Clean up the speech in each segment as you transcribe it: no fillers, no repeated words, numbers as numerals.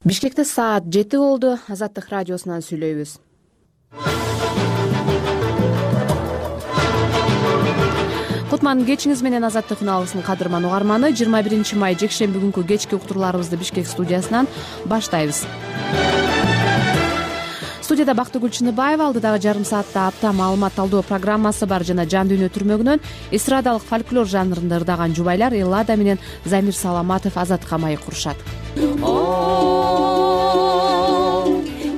Бишкекте саат 7 болду. Азаттык радиосунан сүйлөйбүз. Кутман кечиңиз менен Азаттык үналысынын кадырман угарманы. 21 май жекшемби күнкү кечки уктурууларыбызды Бишкек студиясынан баштайбыз. Студияда Бактыгүл Чыныбаева, алдыдагы жарым саатта апта маалымат талдоо программасы бар жана жан дүйнө түрмөгүнөн эстрадалык фольклор жанрында ырдаган жубайлар Эллада менен Замир Саламатов Азатка маек курушат.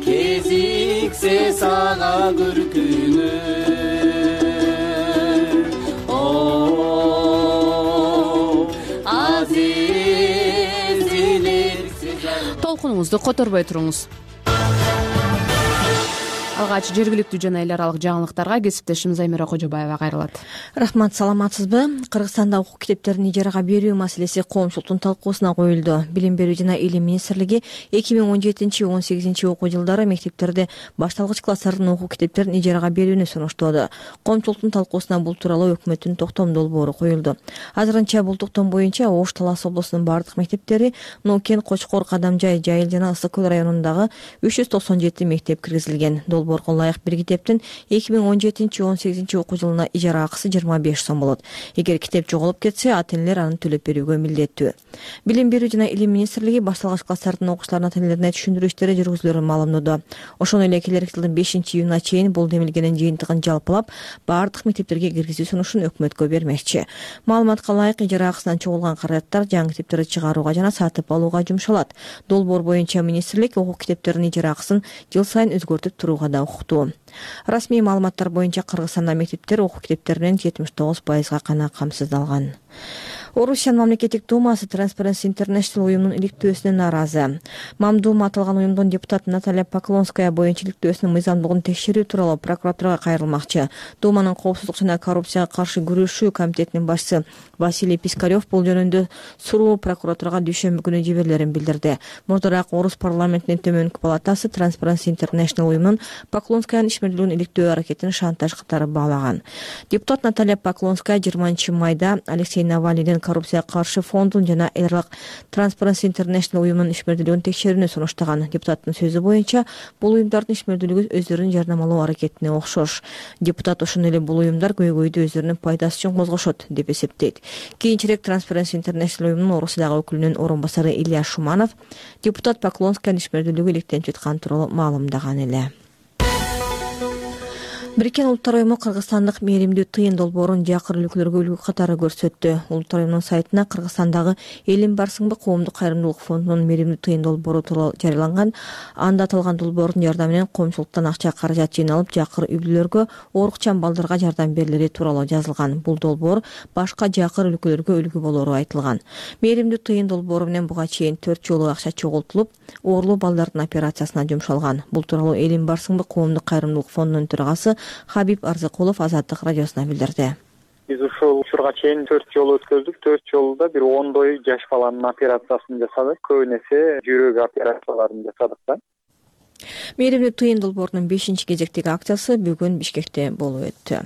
Кезиксе сага күркүнө толкунуңузду которбой туруңуз. Алгач жергиликтүү жана эл аралык жаңылыктарга кесиптешим Замира Кожобаева кайрылат. Рахмат, саламатсызбы? Кыргызстанда окуу китептерин ижарага берүү маселеси коомчулуктун талкуусуна коюлду. Билим берүү жана илим министрлиги 2017-18 окуу жылдары мектептерде башталгыч класстардын окуу китептерин ижарага берүүнү сунуштоодо. Коомчулуктун талкуусуна бул тууралуу өкмөттүн токтом долбоору коюлду. Азырынча бул токтом боюнча Ош Талас облусунун бардык мектептери, Нукен, Кочкор, Кадамжай, Жайыл жана Ысык көл районундагы 397 мектеп киргизилген. Долбоорго ылайык бир китептин 2017-18 окуу жылына ижара акысы 25 сом болот. Эгер китеп жоголуп кетсе, ата-энелер аны төлөп берүүгө милдеттүү. Билим берүү жана илим министрлиги башталгыч класстардын окуучуларынын ата-энелерине түшүндүрүү иштери жүргүзүлөрүн маалымдоодо. Ошондой эле келерки жылдын 5-июнуна чейин бул демилгенин жыйынтыгын жалпылап, бардык мектептерге киргизүү сунушун өкмөткө бермекчи. Маалыматка ылайык ижара акысынан чогулган каражаттар жаңы китептерди чыгарууга жана сатып алууга жумшалат. Долбоор боюнча министрлик окуу китептеринин ижара акысын жыл сайын өзгөртүп турууга да укуктуу. Расмий маалыматтар боюнча Кыргызстанда мектептер окуу китептеринин 79% гана камсыздалган. Орусиянын мамлекеттик думасы Transparency International уюмунун иликтөөсүнө нааразы. Мамдума аталган уюмдун депутаты Наталья Поклонская боюнча иликтөөсүнүн мыйзамдуулугун текшерүү тууралуу прокуратурага кайрылмакчы. Думанын коопсуздук жана коррупцияга каршы күрөшүү комитетинин башчысы Василий Пискарев бул жөнүндө суроо прокуратурага дүйшөмбү күнү жиберилерин билдирди. Мурдараак Орус парламентинин төмөнкү палатасы Transparency International уюмунун Поклонскаянын ишмердүүлүгүн иликтөө аракетин шантаж катары баалаган. Депутат Наталья Поклонская 20 майда Алексей Навальныйдын коррупцияга каршы фондун жана эл аралык Transparency International уюмунун ишмердүүлүгүн текшерүүнү сунуштаган. Депутаттын сөзү боюнча, бул уюмдардын ишмердүүлүгү өздөрүн жарнамалоо аракетине окшош. Депутат ошондой эле бул уюмдар көйгөйдү өздөрүнүн пайдасы үчүн козгошот деп эсептейт. Кийинчерээк Transparency International уюмунун Орусиядагы өкүлүнүн орун басары Илья Шуманов депутат Поклонскаянын ишмердүүлүгү иликтенип жаткан тууралуу маалымдаган эле. Бириккен Улуттар уюму кыргызстандык мээримдүү тыйын долбоорун жакыр өлкөлөргө үлгү катары көрсөттү. Улуттар уюмунун сайтына Кыргызстандагы Элим барсыңбы коомдук кайрымдуулук фондунун мээримдүү тыйын долбоору тууралуу жарыяланган. Анда аталган долбоордун жардамы менен коомчулуктан акча каражат жыйналып, жакыр үй бүлөлөргө, оорукчан балдарга жардам берилери тууралуу жазылган. Бул долбоор башка жакыр өлкөлөргө үлгү болору айтылган. Мээримдүү тыйын долбоору менен буга чейин 4 жолу акча чогултулуп, оорлуу балдардын операциясына жумшалган. Бул тууралуу Элим барсыңбы коомдук кайрымдуулук фондунун төрагасы Хабиб Арзыкулов Азаттык радиосуна билдирди. Биз ушул учурга чейин 4 жолу өткөздүк. 4 жолуда бир 10 жаш баланын операциясын жасадык. Көбүнесе жүрөк операцияларын жасадык да. Мээримдүү тыйын долбоорунун 5-кезектеги акциясы бүгүн Бишкекте болуп өттү.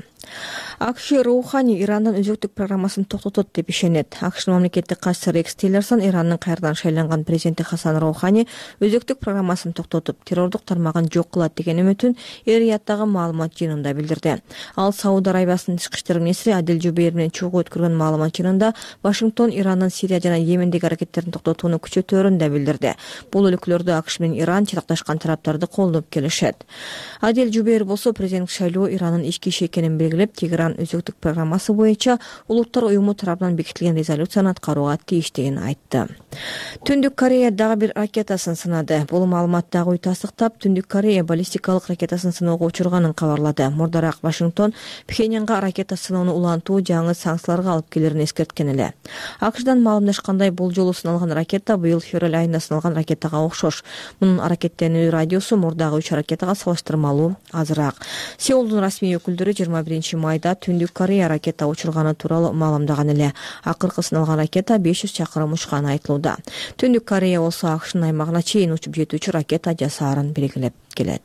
АКШ Роухани Ирандын өзөктүк программасын токтотот деп ишенет. АКШнын мамлекеттик катчысы Рекс Тиллерсон Ирандын кайрадан шайланган президенти Хасан Роухани өзөктүк программасын токтотуп, террордук тармагын жок кылат деген үмүтүн Эр-Рияттагы маалымат жыйынында билдирди. Ал Сауд Арабиясынын тышкы иштер министри Адил Жубейр менен чогуу өткөргөн маалымат жыйынында Вашингтон Ирандын Сирия жана Йемендеги аракеттерин токтотууну күчөтөөрүн да билдирди. Бул өлкөлөрдө АКШ менен Иран чатакташкан тараптарды колдоп келишет. Адил Жубейр болсо президенттик шайлоо Ирандын ички иши экенин белгилеп, Тегеран өзөктүк программасы боюнча Улуттар уюму тарабынан бекитилген резолюцияны аткарууга тийиштигин айтты. Түндүк Корея дагы бир ракетасын сынады. Бул маалымат дагы үй тастыктап, Түндүк Корея баллистикалык ракетасын сыноого учурганын кабарлады. Мурдараак Вашингтон Пхеньянга ракета сыноону улантуу жаңы санкцияларга алып келерин эскерткен эле. АКШдан маалымдашкандай, бул жолу сыналган ракета быйыл февраль айында сыналган ракетага окшош. Мунун аракеттенүү радиусу мурдагы 3 ракетага салыштырмалуу азыраак. Сеулдун расмий өкүлдөрү 21 майда Түндүк Корея ракета учурганы тууралуу маалымдаган эле. Акыркы сыналган ракета 500 чакырым учканы айтылууда. Түндүк Корея болсо АКШнын аймагына чейин учуп жетүүчү ракета жасаарын белгилеп келет.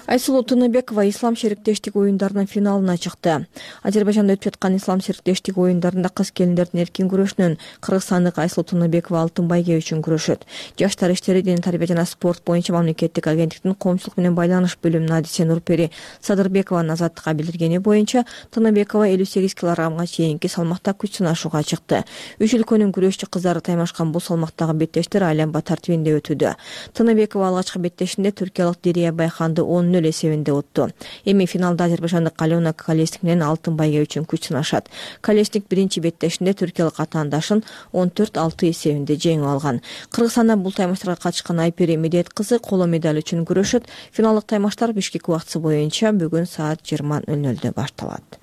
Айсулуу Тыныбекова ислам шериктештик оюндарынын финалына чыкты. Азербайжанда өтүп жаткан ислам шериктештик оюндарында кыз келиндердин эркин күрөшүнөн кыргызстандык Айсулуу Тыныбекова алтын байге үчүн күрөшөт. Жаштар иштери, дене тарбия жана спорт боюнча мамлекеттик агенттиктин коомчулук менен байланыш бөлүмүнүн адиси Нурпери Садырбекованын Азаттыкка билдиргени боюнча Тыныбекова 58 килограммга чейинки салмакта күч сынашууга чыкты. Үч өлкөнүн күрөшчү кыздары таймашкан бул салмактагы беттештер айланма тартибинде өтүүдө. Тыныбекова алгачкы беттешинде түркиялык Дирия Байханды 10-0 эсебинде утту. Эми финалда азербайжандык Алена Колесник менен алтын байге үчүн күч сынашат. Колесник биринчи беттешинде түркиялык атаандашын 14-6 эсебинде жеңип алган. Кыргызстандан бул таймаштарга катышкан Айпери Медет кызы коло медаль үчүн күрөшөт. Финалдык таймаштар Бишкек убактысы боюнча бүгүн саат 20:00 башталат.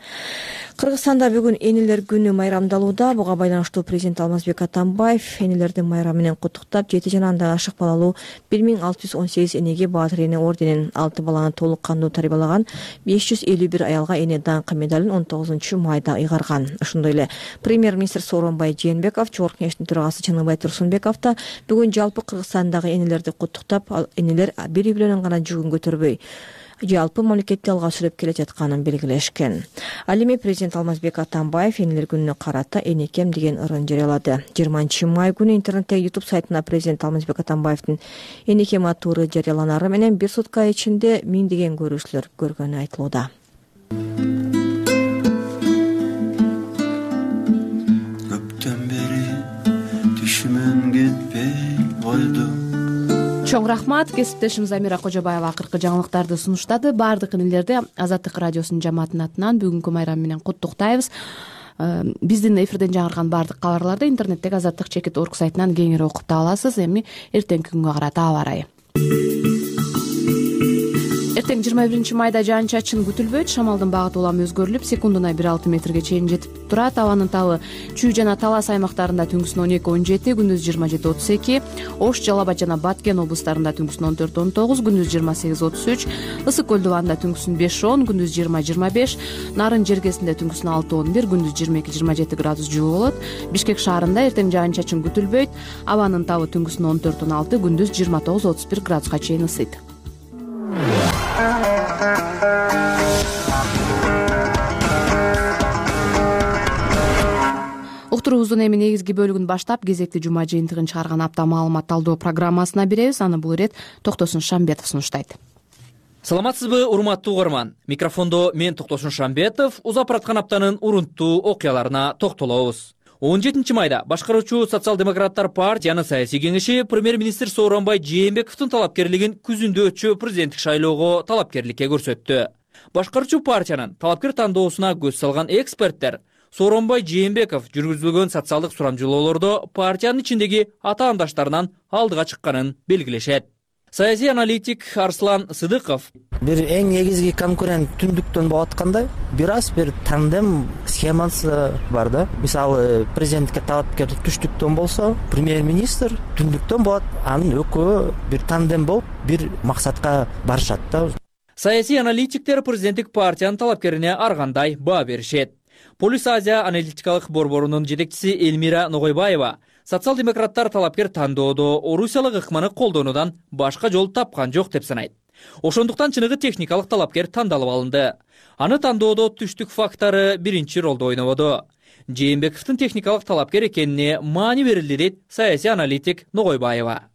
Кыргызстанда бүгүн энелер күнү майрамдалууда. Буга байланыштуу президент Алмазбек Атамбаев энелердин майрамы менен куттуктап, 7 жана андан ашык балалуу 1618 энеге Баатыр эне орденин, 6 баланы толук кандуу тарбиялаган 551 аялга эне даңкы медалын 19 майда ыйгарган. Ошондой эле премьер-министр Сооронбай Жээнбеков, Жогорку Кеңештин төрагасы Чыныбай Турсунбеков да бүгүн жалпы Кыргызстандагы энелерди куттуктап, энелер бири-бири гана жүгүн көтөрбөй жалпы мамлекетти алга сүрөп келе жатканын белгилешкен. Ал эми президент Алмазбек Атамбаев энелер күнүнө карата энекем деген ырын жарыялады. 20 май күнү интернеттеги YouTube сайтына президент Алмазбек Атамбаевдин энекем аттуу ыры жарыяланары менен бир сутка ичинде миңдеген көрүүчүлөр көргөнү айтылууда. Көптөн бери түшүмөн кетпей койду. Чоң рахмат. Кесиптешим Замира Кожобаева акыркы жаңылыктарды сунуштады. Баардык энелерди Азаттык радиосунун жамаатынын атынан бүгүнкү майрам менен куттуктайбыз. Биздин эфирден жаңырган баардык кабарларды интернеттеги azattik.org сайтынан кеңири окуп таба аласыз. Эми эртеңки күнгө карата аба ырайы. Эртең 21 майда жаан-чачын күтүлбөйт. Шамалдын багыты улам өзгөрүлүп, секундуна 1,6 метрге чейин жетип турат. Абанын табы Чүй жана Талас аймактарында түнкүсүн 12-17, күндүз 27-32, Ош, Жалал Абад жана Баткен облустарында түнкүсүн 14-19, күндүз 28-33, Ысык көл дубанында түнкүсүн 5-10, күндүз 20-25, Нарын жергесинде түнкүсүн 6-11, күндүз 22-27 градус жылуу болот. Бишкек шаарында эртең жаан-чачын күтүлбөйт. Абанын табы түнкүсүн 14-16, күндүз 29-31 градуска чейин ысыйт. Уктуруубуздун эми негизги бөлүгүн баштап, кезекти жума жыйынтыгын чыгарган апта маалымат талдоо программасына беребиз. Аны бул ирет Токтосун Шамбетов сунуштайт. Саламатсызбы, урматтуу угарман. Микрофондо мен Токтосун Шамбетов. Узап бараткан аптанын урунттуу окуяларына токтолобуз. 17 майда башкаруучу социал-демократтар партиянын саясий кеңеши премьер-министр Сооронбай Жээнбековдун талапкерлигин күзүндө өтчү президенттик шайлоого талапкерликке көрсөттү. Башкаруучу партиянын талапкер тандоосуна көз салган эксперттер Сооронбай Жээнбеков жүргүзүлгөн социалдык сурамжылоолордо партиянын ичиндеги атаандаштарынан алдыга чыкканын белгилешет. Саясий аналитик Арслан Сыдыков: бир эң негизги конкурент түндүктөн болуп атканда бир тандем схемасы бар да. Мисалы, президентке талапкер түштүктөн болсо, премьер-министр түндүктөн болот. Анын экөө бир тандем болуп, бир максатка барышат да. Саясий аналитиктер президенттик партиянын талапкерине ар кандай баа беришет. Полис Азия аналитикалык борборунун жетекчиси Элмира Ногойбаева социал-демократтар талапкер тандоодо орусиялык ыкманы колдонуудан башка жол тапкан жок деп санайт. Ошондуктан чыныгы техникалык талапкер тандалып алынды. Аны тандоодо түштүк фактары биринчи ролду ойнободу. Жээнбековдун техникалык талапкер экенине маани берилди дейт саясий аналитик Ногойбаева.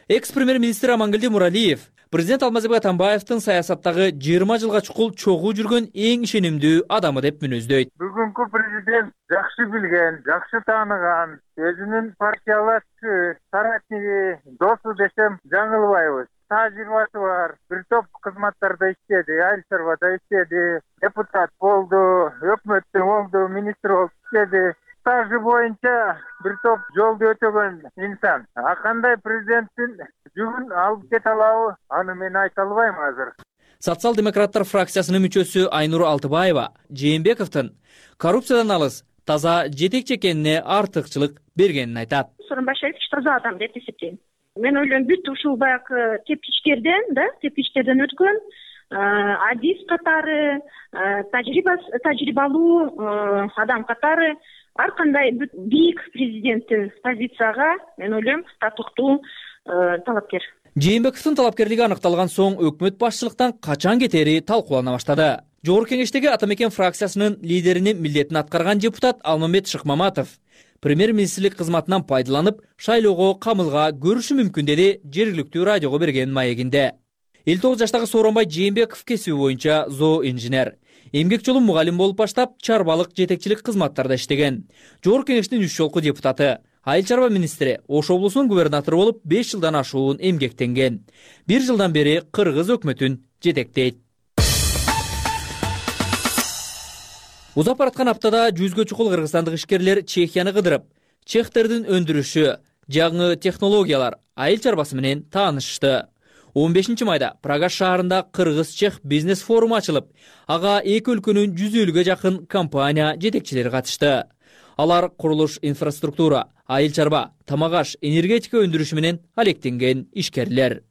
Экс-премьер-министр Амангелди Муралиев президент Алмазбек Атамбаевдин саясаттагы 20 жылга чукул чогуу жүргөн эң ишенимдүү адамы деп мүнөздөйт. Бүгүнкү президент жакшы билген, жакшы тааныган, өзүнүн партиялашчы, соратниги, досу десем жаңылбайбыз. Тажрыйбасы бар, бир топ кызматтарда иштеди, Айыл чарбада иштеди, депутат болду, өкмөттө болду, министр болуп иштеди. Стажы боюнча бир топ жолду өтөгөн инсан. Кандай президенттин жүгүн алып кете алабы, аны мен айта албайм азыр. Социал-демократтар фракциясынын мүчөсү Айнур Алтыбаева Жээнбековдун коррупциядан алыс, таза жетекчи экенине артыкчылык бергенин айтат. Сооронбай Шарипович таза адам деп эсептейм. Мен ойлойм, бүт ушул баягы тепкичтерден өткөн адис катары, тажрыйбалуу адам катары ар кандай бийик президенттин позицияга мен ойлойм татыктуу талапкер. Жээнбековдун талапкерлиги аныкталган соң өкмөт башчылыктан качан кетери талкуулана баштады. Жогорку кеңештеги Ата мекен фракциясынын лидеринин милдетин аткарган депутат Алмамбет Шыкмаматов премьер-министрлик кызматынан пайдаланып, шайлоого камылга көрүшү мүмкүн деди жергиликтүү радиого берген маегинде. 59 жаштагы Сооронбай Жээнбеков кесиби боюнча зооинженер. Эмгек жолун мугалим болуп баштап, чарбалык жетекчилик кызматтарда иштеген. Жогорку кеңештин 3 жолку депутаты, айыл чарба министри, Ош облусунун губернатору болуп 5 жылдан ашуун эмгектенген. 1 жылдан бери кыргыз өкмөтүн жетектейт. Узап бараткан аптада 100гө чукул кыргызстандык ишкерлер Чехияны кыдырып, чехтердин өндүрүшү, жаңы технологиялар, айыл чарбасы менен таанышты. 15 майда Прага шаарында кыргыз-чех бизнес форуму ачылып, ага эки өлкөнүн 150гө жакын компания жетекчилери катышты. Алар курулуш инфраструктура, айыл чарба, тамак аш, энергетика өндүрүшү менен алектенген ишкерлер.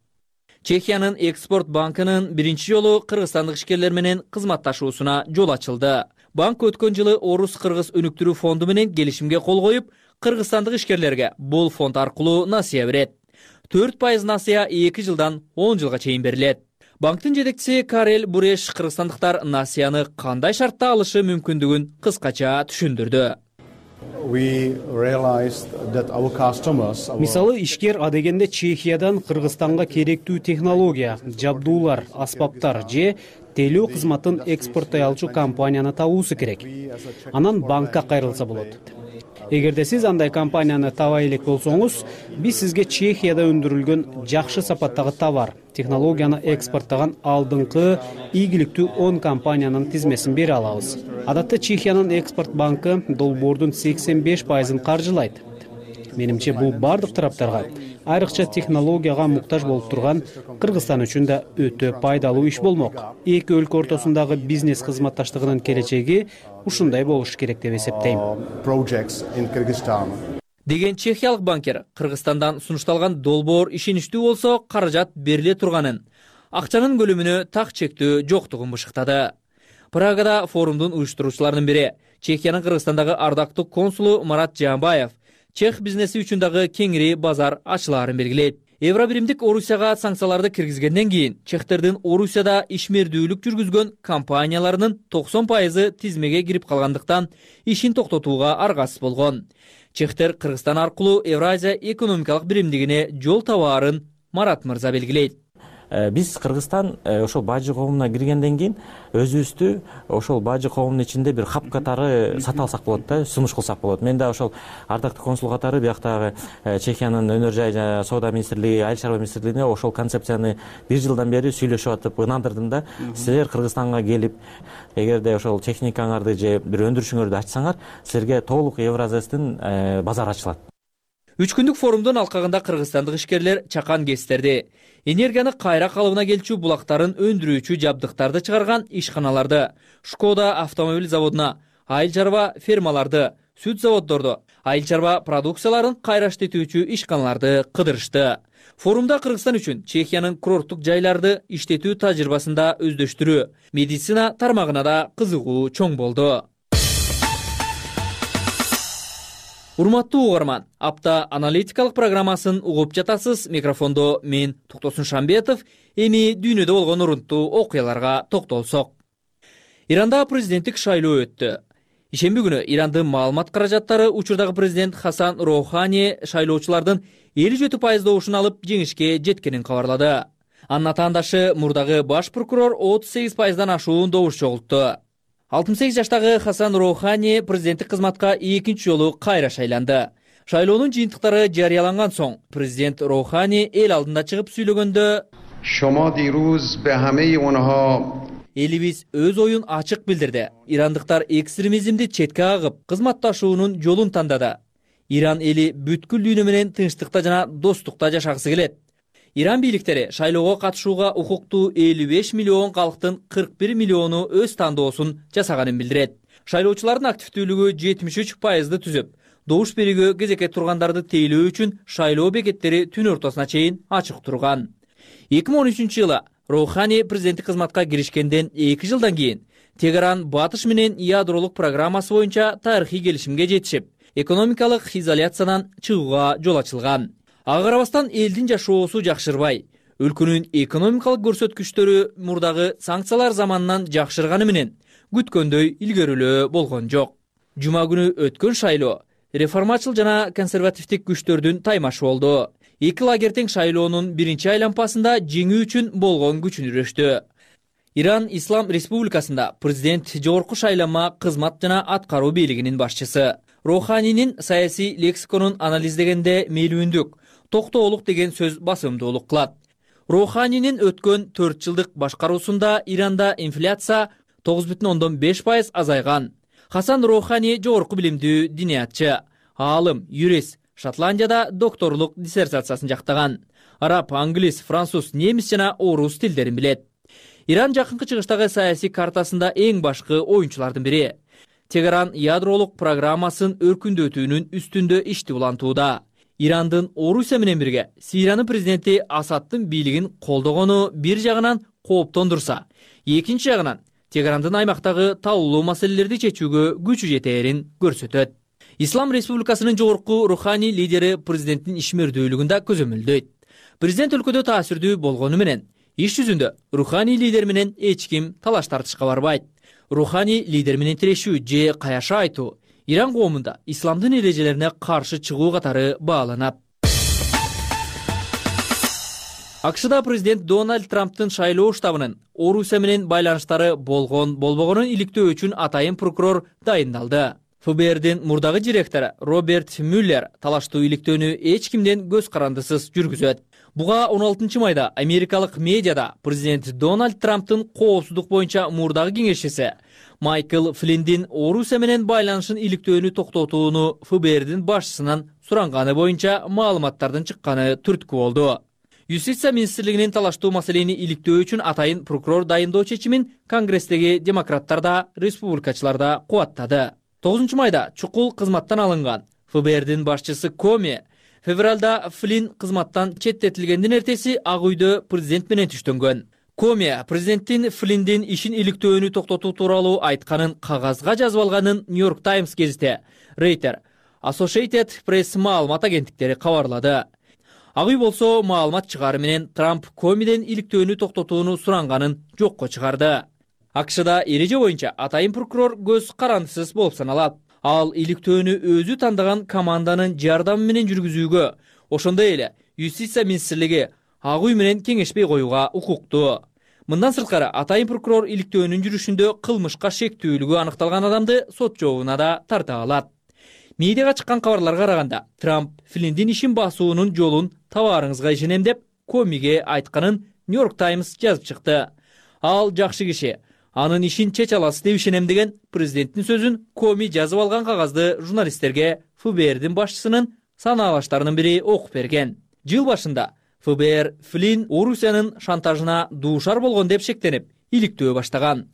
Чехиянын экспорт банкынын биринчи жолу кыргызстандык ишкерлер менен кызматташуусуна жол ачылды. Банк өткөн жылы Орус-Кыргыз өнүктүрүү фонду менен келишимге кол коюп, кыргызстандык ишкерлерге бул фонд аркылуу насыя берет. 4% насыя 2 жылдан 10 жылга чейин берилет. Банктын жетекчиси Карел Буреш кыргызстандыктар насыяны кандай шартта алышы мүмкүндүгүн кыскача түшүндүрдү. Мисалы, ишкер адегенде Чехиядан Кыргызстанга керектүү технология, жабдуулар, аспаптар же тейлөө кызматын экспорттой алчу компанияны табуусу керек. Анан банкка кайрылса болот. Эгерде сиз андай компанияны табай элек болсоңуз, биз сизге Чехияда өндүрүлгөн жакшы сапаттагы товар, технологияны экспорттаган алдыңкы ийгиликтүү 10 компаниянын тизмесин бере алабыз. Адатта Чехиянын экспорт банкы долбоордун 85%-ын каржылайт. Менимче бул бардык тараптарга, айрыкча технологияга муктаж болуп турган Кыргызстан үчүн да өтө пайдалуу иш болмок. Эки өлкө ортосундагы бизнес кызматташтыгынын келечеги ушундай болуш керек деп эсептейм. Деген чехиялык банкер Кыргызстандан сунушталган долбоор ишеничтүү болсо каражат бериле турганын, акчанын көлөмүнө так чектөө жоктугун бышыктады. Прагада форумдун уюштуруучуларынын бири, Чехиянын Кыргызстандагы ардактуу консулу Марат Жаанбаев, чех бизнеси үчүн дагы кеңири базар ачылаарын белгилейт. Евробиримдик Орусияга санкцияларды киргизгенден кийин чехтердин Орусияда ишмердүүлүк жүргүзгөн компанияларынын 90% тизмеге кирип калгандыктан ишин токтотууга аргасыз болгон. Чехтер Кыргызстан аркылуу Евразия экономикалык биримдигине жол табаарын Марат мырза белгилейт. Биз Кыргызстан ошол бажы коомуна киргенден кийин өзүбүздү ошол бажы коомунун ичинде бир хап катары сата алсак болот да, сунуш кылсак болот. Мен да ошол ардактуу консул катары бияктагы Чехиянын өнөр жай жана соода министрлиги, айыл чарба министрлигине ошол концепцияны 1 жылдан бери сүйлөшүп атып ынандырдым да. Силер Кыргызстанга келип, эгерде ошол техникаңарды же бир өндүрүшүңөрдү ачсаңар, силерге толук Евразиястын базар ачылат. 3 күндүк форумдун алкагында кыргызстандык ишкерлер чакан кестерди, энергияны кайра калыбына келчү булактарын өндүрүүчү жабдыктарды чыгарган ишканаларды, Шкода автомобиль заводуна, айыл чарба фермаларды, сүт заводдорду, айыл чарба продукцияларын кайра иштетүүчү ишканаларды кыдырышты. Форумда Кыргызстан үчүн Чехиянын курорттук жайларды иштетүү тажрыйбасында өздөштүрүү, медицина тармагына да кызыгуу чоң болду. Урматтуу угарман, апта аналитикалык программасын угуп жатасыз. Микрофондо мен Токтосун Шамбетов. Эми дүйнөдө болгон урунттуу окуяларга токтолсок. Иранда президенттик шайлоо өттү. Ишемби күнү Ирандын маалымат каражаттары учурдагы президент Хасан Роухани шайлоочулардын 57% добушун алып жеңишке жеткенин кабарлады. Анын атаандашы мурдагы баш прокурор 38%дан ашуун добуш чогултту. 68 жаштагы Хасан Роухани президенттик кызматка экинчи жолу кайра шайланды. Шайлоонун жыйынтыктары жарыяланган соң президент Роухани эл алдында чыгып сүйлөгөндө элибиз өз оюн ачык билдирди. Ирандыктар экстремизмди четке агып, кызматташуунун жолун тандады. Иран эли бүткүл дүйнө менен тынчтыкта жана достукта жашагысы келет. Иран бийликтери шайлоого катышууга укуктуу 55 миллион калктын 41 миллиону өз тандоосун жасаганын билдирет. Шайлоочулардын активдүүлүгү 73%ды түзүп, добуш берүүгө кезекке тургандарды тейлөө үчүн шайлоо бекеттери түн ортосуна чейин ачык турган. 2013 жылы Роухани президенттик кызматка киришкенден 2 жылдан кийин Тегеран батыш менен ядролук программасы боюнча тарыхый келишимге жетишип, экономикалык изоляциядан чыгууга жол ачылган. Ага карабастан элдин жашоосу жакшырбай, өлкөнүн экономикалык көрсөткүчтөрү мурдагы санкциялар заманынан жакшырганы менен күткөндөй илгерүүлөө болгон жок. Жума күнү өткөн шайлоо реформачыл жана консервативдик күчтөрдүн таймашы болду. Эки лагерь тең шайлоонун биринчи айлампасында жеңүү үчүн болгон күчүн үрөштү. Иран Ислам Республикасында президент жогорку шайланма кызмат жана аткаруу бийлигинин башчысы. Роханинин саясий лексиконун анализдегенде мейлүүндүк, токтоолук деген сөз басымдуулук кылат. Роханинин өткөн 4 жылдык башкаруусунда Иранда инфляция 9,5% азайган. Хасан Рохани жогорку билимдүү диниятчы, аалым, юрист, Шотландияда докторлук диссертациясын жактаган. Араб, англис, француз, немис жана орус тилдерин билет. Иран жакынкы чыгыштагы саясий картасында эң башкы оюнчулардын бири. Тегеран ядролук программасын өркүндөтүүнүн үстүндө ишти улантууда. Ирандын Орусия менен бирге Сириянын президенти Асадтын бийлигин колдогону бир жагынан кооптондурса, экинчи жагынан Тегерандын аймактагы талуулуу маселелерди чечүүгө күчү жетээрин көрсөтөт. Ислам Республикасынын жогорку руханий лидери президенттин ишмердүүлүгүндө көзөмөлдөйт. Президент өлкөдө таасирдүү болгону менен иш жүзүндө руханий лидер менен эч ким талаш тартышка барбайт. Руханий лидер менен тирешүү же каяша айтуу Иран коомунда исламдын эрежелерине каршы чыгуу катары бааланат. АКШда президент Дональд Трамптын шайлоо штабынын Орусия менен байланыштары болбогонун иликтөө үчүн атайын прокурор дайындалды. ФБРдин мурдагы директору Роберт Мюллер талаштуу иликтөөнү эч кимден көз карандысыз жүргүзөт. Буга 16 майда америкалык медиада президент Дональд Трамптын коопсуздук боюнча мурдагы кеңешчиси Майкл Флиндин Орусия менен байланышын иликтөөнү токтотууну ФБРдин башчысынан суранганы боюнча маалыматтардын чыкканы түрткү болду. Юстиция министрлигинин талаштуу маселени иликтөө үчүн атайын прокурор дайындоо чечимин Конгресстеги демократтар да, республикачылар да кубаттады. 9 майда чукул кызматтан алынган ФБРдин башчысы Коми февралда Флин кызматтан четтетилгендин эртеси Ак үйдө президент менен түштөнгөн. Коми президенттин Флиндин ишин иликтөөнү токтотуу тууралуу айтканын кагазга жазып алганын Нью-Йорк Таймс гезити, Рейтер, Associated Press маалымат агенттиктери кабарлады. Ак үй болсо маалымат чыгары менен Трамп Комиден иликтөөнү токтотууну суранганын жокко чыгарды. АКШда эреже боюнча атайын прокурор көз карандысыз болуп саналат. Ал иликтөөнү өзү тандаган команданын жардамы менен жүргүзүүгө, ошондой эле Юстиция министрлиги Ак үй менен кеңешпей коюуга укуктуу. Мындан сырткары атайын прокурор иликтөөнүн жүрүшүндө кылмышка шектүүлүгү аныкталган адамды сот жообуна да тарта алат. Медиага чыккан кабарларга караганда, Трамп Флиндин ишин басуунун жолун табаарыңызга ишенем деп Комиге айтканын Нью-Йорк Таймс жазып чыкты. Ал жакшы киши, анын ишин чече аласыз деп ишенем деген президенттин сөзүн Коми жазып алган кагазды журналисттерге ФБРдин башчысынын санаалаштарынын бири окуп берген. Жыл башында ФБР Флин Орусиянын шантажына дуушар болгон деп шектенип, иликтөө баштаган.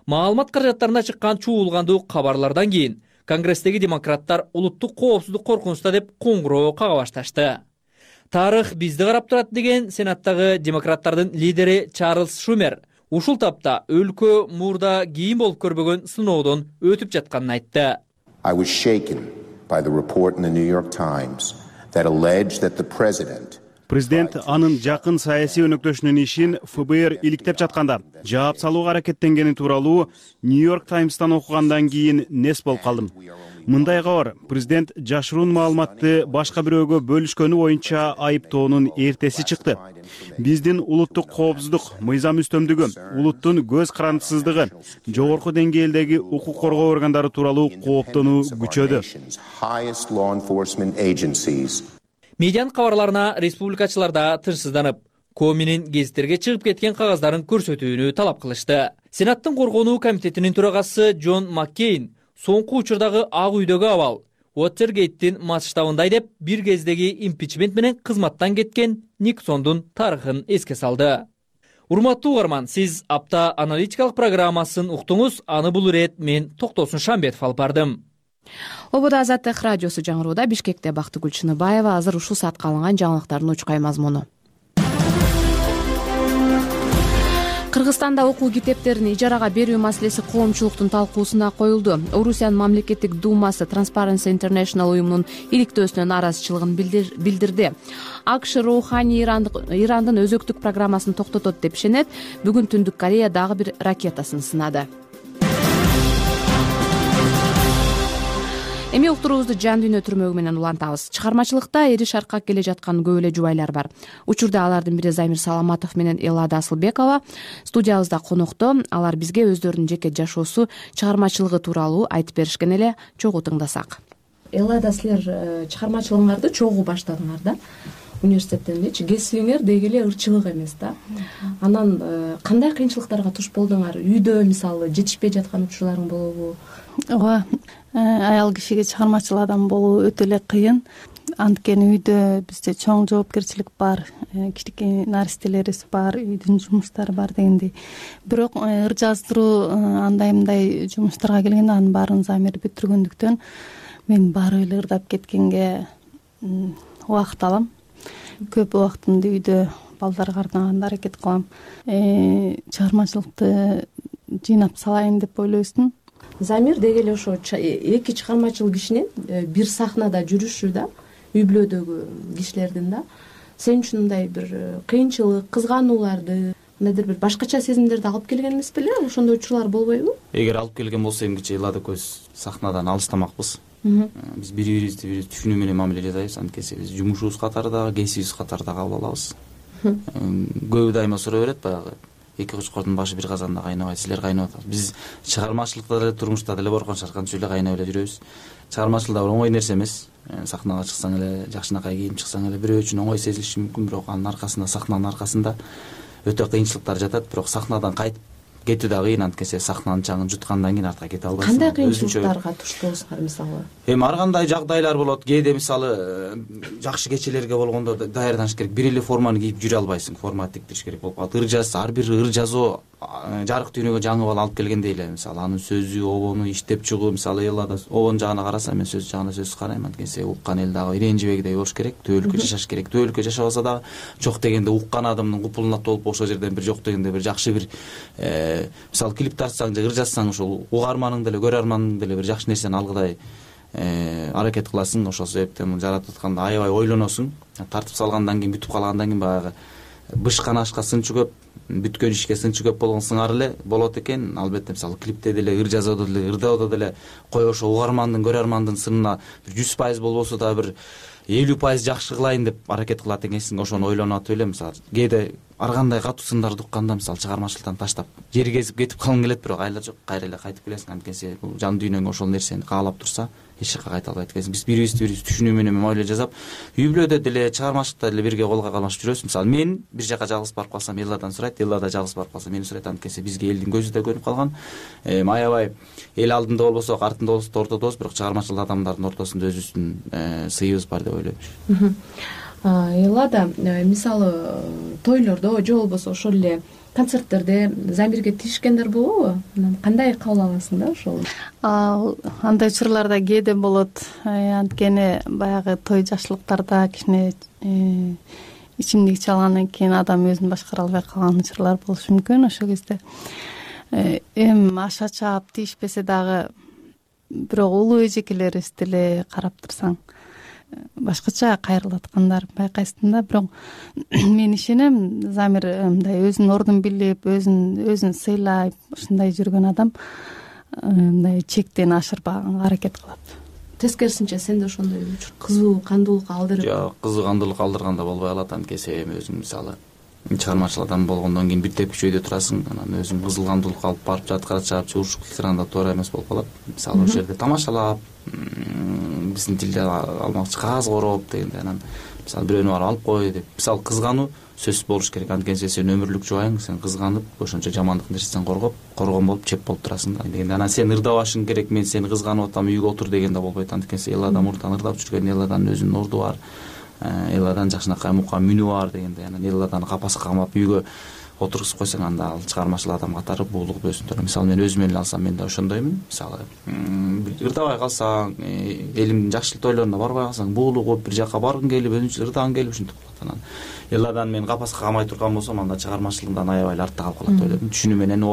Маалымат каражаттарына чыккан чуулгандуу кабарлардан кийин Конгресстеги демократтар улуттук коопсуздук коркунучта деп коңгуроо кага башташты. Тарых бизди карап турат деген Сенаттагы демократтардын лидери Чарльз Шумер ушул тапта өлкө мурда кийин болуп көрбөгөн сыноодон өтүп жатканын айтты. I was shaken by the report in the New York Times that alleged that the president Президент анын жакын саясий өнөктөшүнүн ишин ФБР иликтеп жатканда жаап салууга аракеттенгени тууралуу Нью-Йорк Таймстан окугандан кийин нес болуп калдым. Мындайга бар, президент жашыруун маалыматты башка бирөөгө бөлүшкөнү боюнча айыптоонун эртеси чыкты. Биздин улуттук коопсуздук, мыйзам үстөмдүгү, улуттун көз карандысыздыгы, жогорку деңгээлдеги укук коргоо органдары тууралуу кооптонуу күчөдү. Медианын кабарларына республикачылар да тынчсызданып, Коминин гезиттерге чыгып кеткен кагаздарын көрсөтүүнү талап кылышты. Сенаттын коргонуу комитетинин төрагасы Джон Маккейн соңку учурдагы Ак үйдөгү абал Уотергейттин масштабындай деп бир кездеги импичмент менен кызматтан кеткен Никсондун тарыхын эске салды. Урматтуу угарман, сиз апта аналитикалык программасын уктуңуз. Аны бул ирет мен Токтосун Шамбетов алып бардым. Ободо Азаттык радиосу жаңырууда. Бишкекте Бактыгүл Чыныбаева азыр ушул саатка алынган жаңылыктардын учкай мазмуну. Кыргызстанда окуу китептерин ижарага берүү маселеси коомчулуктун талкуусуна коюлду. Орусиянын мамлекеттик думасы Transparency International уюмунун иликтөөсүнө нааразычылыгын билдирди. АКШ Роухани Ирандын өзөктүк программасын токтотот деп ишенет. Бүгүн Түндүк Корея дагы бир ракетасын сынады. Эми уктуруубузду жан дүйнө түрмөгү менен улантабыз. Чыгармачылыкта эри шаркак келе жаткан көп эле жубайлар бар. Учурда алардын бири Замир Саламатов менен Элада Асылбекова студиябызда конокто. Алар бизге өздөрүнүн жеке жашоосу, чыгармачылыгы тууралуу айтып беришкен эле. Чогуу тыңдасак. Элада, силер чыгармачылыгыңарды чогуу баштадыңар да? Университеттенчи кесибиңер деги эле ырчылык эмес да. Анан кандай кыйынчылыктарга туш болдуңар? Үйдө мисалы жетишпей жаткан учурларың болобу? Ооба, аял кишиге чыгармачыл адам болуу өтө эле кыйын. Анткени үйдө бизде чоң жоопкерчилик бар, кичинекей наристелерибиз бар, үйдүн жумуштары бар дегендей. Бирок ыр жаздыруу андай мындай жумуштарга келгенде анын баарын Замир бүтүргөндүктөн мен баары эле ырдап кеткенге убакыт алам. Көп убактымды үйдө балдарга арнаганга аракет кылам. Чыгармачылыкты жыйнап салайын деп ойлойсуң. Замир деги эле ошо эки чыгармачыл кишинин бир сахнада жүрүшү да, үй бүлөдөгү кишилердин да сен үчүн мындай бир кыйынчылык, кызганууларды, мындайдыр бир башкача сезимдерди алып келген эмес беле? Ошондой учурлар болбойбу? Эгер алып келген болсо эмгиче Элада көз сахнадан алыстамакпыз. Биз бири-бирибизди түшүнүү менен мамиле жасайбыз. Анткени биз жумушубуз катарында, кесибибиз катарында кабыл алабыз. Көбү дайыма сурай берет, баягы эки кучкордун башы бир казанда кайнабайт, силер кайнап атасыз. Биз чыгармачылыкта деле, турмушта деле боркон шарканчу эле кайнап эле жүрөбүз. Чыгармачылыкта бир оңой нерсе эмес. Сахнага чыксаң эле, жакшынакай кийип чыксаң эле бирөө үчүн оңой сезилиши мүмкүн, бирок анын аркасында, сахнанын аркасында өтө кыйынчылыктар жатат. Бирок сахнадан кайтып кетүү да кыйын, анткени сахнанын чаңын жуткандан кийин артка кете албайсың. Кандай кыйынчылыктарга туш болсуңар мисалы? Эми ар кандай жагдайлар болот. Кээде мисалы жакшы кечелерге болгондо даярданыш керек. Бир эле форманы кийип жүрө албайсың. Форма тиктириш керек болуп калат. Ыр жазса, ар бир ыр жазуу жарык дүйнөгө жаңы бала алып келгендей эле. Мисалы анын сөзү, обону иштеп чыгуу, мисалы Элада обон жагына караса, мен сөз жагына сөз карайм. Анткени уккан эл дагы иренжибегидей болуш керек. Төөлүккө жашаш керек. Төөлүккө жашабаса дагы жок дегенде уккан адамдын купулуна толуп ошол жерден бир жок дегенде бир жакшы бир мисалы клип тартсаң же ыр жазсаң, ошол угарманың деле, көрөрмандын деле бир жакшы нерсени алгыдай аракет кыласың. Ошол себептен жаратып атканда аябай ойлоносуң. Тартып салгандан кийин, бүтүп калгандан кийин баягы бышкан ашка сынчы көп, бүткөн ишке сынчы көп болгон сыңар эле болот экен. Албетте мисалы клипте деле, ыр жазууда деле, ырдаоодо деле кой ошо угармандын, көрөрмандын сынына бир 100% болбосо да бир 50% жакшы кылайын деп аракет кылат экенсиң. Ошону ойлонуп атып эле мисалы кээде ар кандай катуу сындарды укканда мисалы чыгармачылыктан таштап жер кезип кетип калгың келет, бирок айла жок, кайра эле кайтып келесиң. Анткени бул жан дүйнөң ошол нерсени каалап турса эч жакка кайта албайт экенсиң. Биз бири-бирибизди түшүнүү менен мамиле жасап, үй бүлөдө деле, чыгармачылыкта деле бирге колго калмашып жүрөбүз. Мисалы мен бир жака жалгыз барып калсам, Эладан сурайт, Элада жалгыз барып калса мени сурайт. Анткени бизге элдин көзү да көнүп калган. Аябай эл алдында болбосо, артында болбосо ортодобуз, бирок чыгармачыл адамдардын ортосунда өзүбүздүн сыйыбыз бар деп ойлойм. Элада, мисалы тойлордо же болбосо ошол эле концерттерде Замирге тиешкендер болобу? Кандай кабыл аласың да ошол? Андай учурларда кээде болот. Анткени баягы той жашылыктарда кичине ичимдик ичип алгандан кийин адам өзүн башкара албай калган учурлар болушу мүмкүн. Ошол кезде аша чаап тийишпесе дагы, бирок улуу эжекелерибиз деле карап турсаң башкача кайрылып аткандар байкайсың да. Бирок мен ишенем, Замир мындай өзүнүн ордун билип, өзүн сыйлап ушундай жүргөн адам мындай чектен ашырбаганга аракет кылат. Тескерисинче сенде ошондой кызуу кандуулук алдырып? Жок, кызуу кандуулук алдырганда болбой калат. Анткени эми өзүң мисалы чыгармачыл адам болгондон кийин бир тепкич өйдө турасың, анан өзүң кызыл кандуулук алып барып жаткыра чаап урушуп экранда туура эмес болуп калат. Мисалы ошол жерде тамашалап, биздин тилде алмакчы кагаз короп дегенде, анан мисалы бирөөнү барып алып кой деп, мисалы кызгануу сөзсүз болуш керек. Анткени сен өмүрлүк жубайың, сен кызганып ошончо жамандык нерседен коргон болуп чеп болуп турасың да дегенде. Анан сен ырдабашың керек, мен сени кызганып атам, үйгө отур дегенде болбойт. Анткени Элада мурдан ырдап жүргөн, Эладанын өзүнүн орду бар, Эладан жакшынакай мукам мүнү бар дегенде, анан Эладаны капаска камап үйгө отургузуп койсоң анда ал чыгармачыл адам катары буулугу өсүп мисалы мен өзүмө эле алсам мен да ошондоймун. Мисалы ырдабай калсаң, элимдин жакшылык тойлоруна барбай калсаң буулугуп бир жака баргың келип өзүнчө ырдагың келип ушинтип калат. Анан элладан мен капаска камай турган болсом анда чыгармачылыгымдан аябай эле артта калып калат деп ойлойм. Түшүнүү менен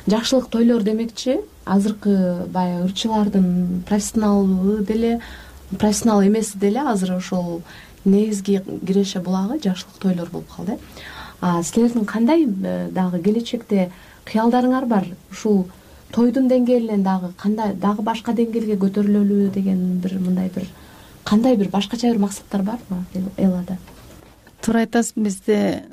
жакшылык тойлор демекчи азыркы баягы ырчылардын профессионалы деле профессионал эмеси деле азыр ошол негизги киреше булагы жакшылык тойлор болуп калды. Силердин кандай дагы келечекте кыялдарыңар бар? Ушул тойдун деңгээлинен дагы кандай дагы башка деңгээлге көтөрүлөлү деген бир мындай бир кандай бир башкача бир максаттар барбы Эллада? Туура айтасыз, бизди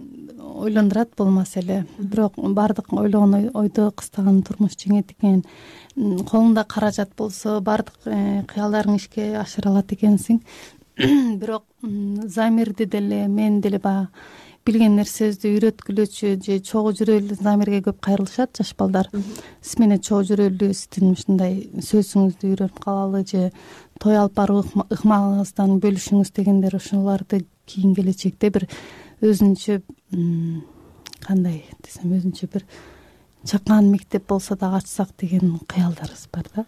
ойлондурат бул маселе. Бирок баардык ойлогон ойдо кыстаган турмуш жеңет экен. Колуңда каражат болсо баардык кыялдарың ишке ашыра алат экенсиң. Бирок замирди деле мен деле баягы билген нерсебизди үйрөткүлөчү же чогуу жүрөлүү замирге көп кайрылышат жаш балдар. Сиз менен чогуу жүрөлүү, сиздин ушундай сөзүңүздү үйрөнүп калалы же той алып барып ыкмагыңыздан бөлүшүңүз дегендер ошолорду кийин келечекте бир өзүнчө кандай десем өзүнчө бир чакан мектеп болсо дагы ачсак деген кыялдарыбыз бар да.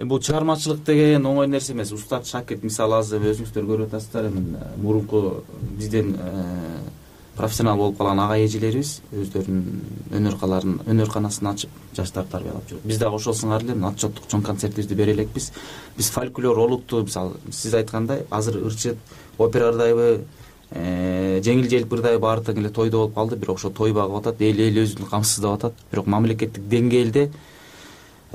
Бул чыгармачылык деген оңой нерсе эмес. Устат шакирт мисалы азыр өзүңүздөр көрүп атасыздар, эми мурунку бизден профессионал болуп калган ага эжелерибиз өздөрүнүн өнөр-канасын ачып жаштарды тарбиялап жүрөт. Биз дагы ошол сыңар эле отчеттук чоң концертибизди бере элекпиз. Биз фольклор олуттуу, мисалы сиз айткандай азыр ырчы опера ырдайбы, жеңил желп ырдайбы баары тең эле тойдо болуп калды. Бирок ошо той багып атат, эл өзүн камсыздап атат. Бирок мамлекеттик деңгээлде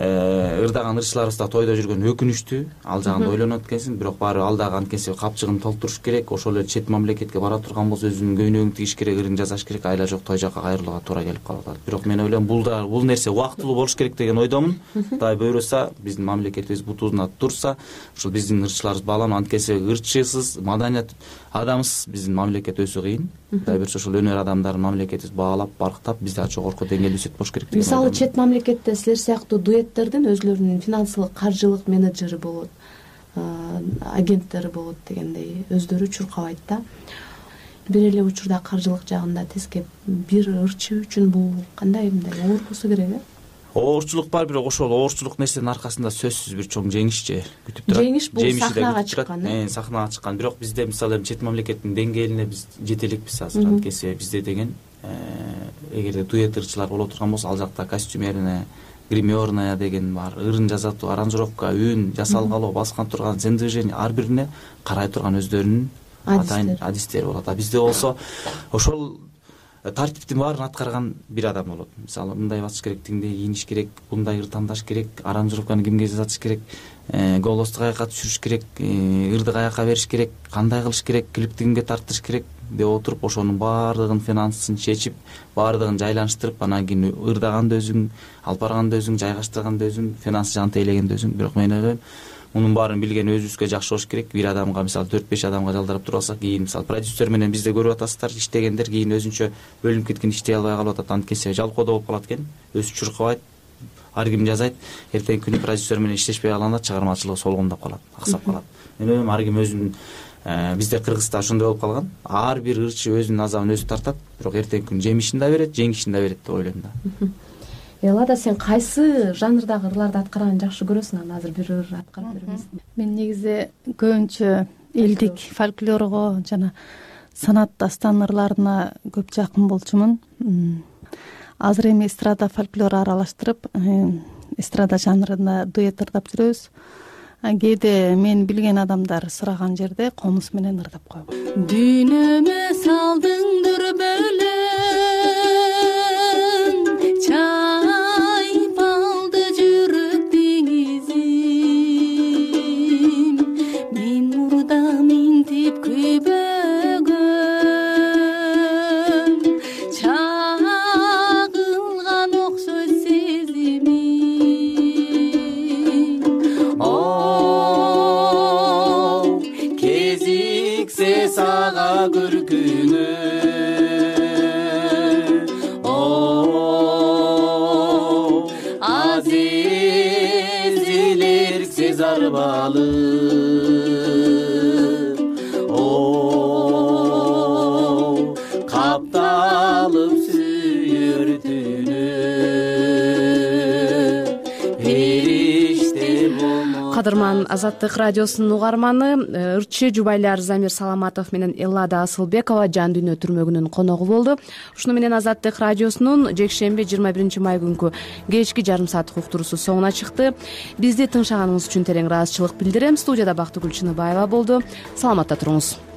ырдаган ырчыларыбыз да тойдо жүргөн өкүнүчтүү. Ал жагында ойлонот экенсиң, бирок баары ал дагы анткенсе капчыгын толтуруш керек. Ошол эле чет мамлекетке бара турган болсо өзүнүн көйнөгүн тигиш керек, ырын жасаш керек, айла жок той жака кайрылууга туура келип калып атат. Бирок мен ойлойм бул нерсе убактылуу болуш керек деген ойдомун. Кудай буйруса, биздин мамлекетибиз бутуна турса, ушул биздин ырчыларыбыз бааланып, анткенсе ырчысыз, маданият адамсыз биздин мамлекет өсүү кыйын. Кудай буйруса ошол өнөр адамдарын мамлекетибиз баалап, барктап, бизде жогорку деңгээлде өсөт болуш керек деген. Мисалы чет мамлекетте силер сыяктуу дуэттердин өзлөрүнүн финансылык, каржылык менеджери болот, агенттери болот дегендей өздөрү чуркабайт да. Бир эле учурда каржылык жагында тескеп бир ырчы үчүн бул кандай мындай оор болсо керек Оорчулук бар, бирок ошол оорчулук нерсенин аркасында сөзсүз бир чоң жеңиш же күтүп турат. Жеңиш бул сахнага чыккан. Сахнага чыккан. Бирок бизде мисалы чет мамлекеттин деңгээлине биз жете элекпиз азыр. Анткенсе бизде деген эгерде дуэт ырчылар боло турган болсо, ал жакта костюмерная, гримерная деген бар, ырын жасатуу, аранжировка, үн жасалгалоо, баскан турган зен движение ар бирине карай турган өздөрүнүн атайын адистери болот. А бизде болсо ошол тартиптин баарын аткарган бир адам болот. Мисалы мындай басыш керек, тиңдей кийиниш керек, мындай ыр тандаш керек, аранжировканы кимге жасатыш керек, голосту каяка түшүрүш керек, ырды каяка бериш керек, кандай кылыш керек, клипти кимге тарттырыш керек деп отуруп, ошонун баардыгын финансын чечип, баардыгын жайланыштырып, анан кийин ырдаганда өзүң, алып барганда өзүң, жайгаштырганда өзүң, финансы жагын тейлегенде өзүң. Бирок мен ойлойм, мунун баарын билген өзүбүзгө жакшы болуш керек. Бир адамга мисалы 4-5 адамга жалдарып туруп алсак, кийин мисалы продюсер менен бизде көрүп атасыздар, иштегендер кийин өзүнчө бөлүнүп кеткен, иштей албай калып атат. Анткенсе жалкоодо болуп калат экен, өзү чуркабайт, ар ким жазайт, эртеңки күнү продюсер менен иштешпей калганда чыгармачылыгы солгундап калат, аксап калат. Мен ойлойм ар ким өзүнүн бизде Кыргызда ошондой болуп калган. Ар бир ырчы өзүнүн азабын өзү тартат, бирок эртеңки күнү жемишин да берет, жеңишин да берет деп ойлойм да. Эллада, сен кайсы жанрдагы ырларды аткарганды жакшы көрөсүң? Анан азыр бир ыр аткарып беребиз. Мен негизи көбүнчө элдик фольклорго жана санат дастан ырларына көп жакын болчумун. Азыр эми эстрада фольклор аралаштырып, эстрада жанрында дуэт ырдап жүрөбүз. Кээде мен билген адамдар сураган жерде комуз менен ырдап коем. Дүйнөмө салдың дүрбөлөң чайып алды жүрөк деңизим, мен мурда минтип күйбөгөн, чагылган окшойт сезимим. О, кезиксе сага көркүнө, зарбалы, о, капталып сүйө жаткан Азаттык радиосунун угарманы, ырчы жубайлар Замир Саламатов менен Эллада Асылбекова Жан дүйнө түрмөгүнүн коногу болду. Ушуну менен Азаттык радиосунун жекшемби 21 май күнкү кечки жарым сааттык уктуруусу соңуна чыкты. Бизди тыңшаганыңыз үчүн терең ыраазычылык билдирем. Студияда Бактыгүл Чыныбаева болду. Саламатта туруңуз.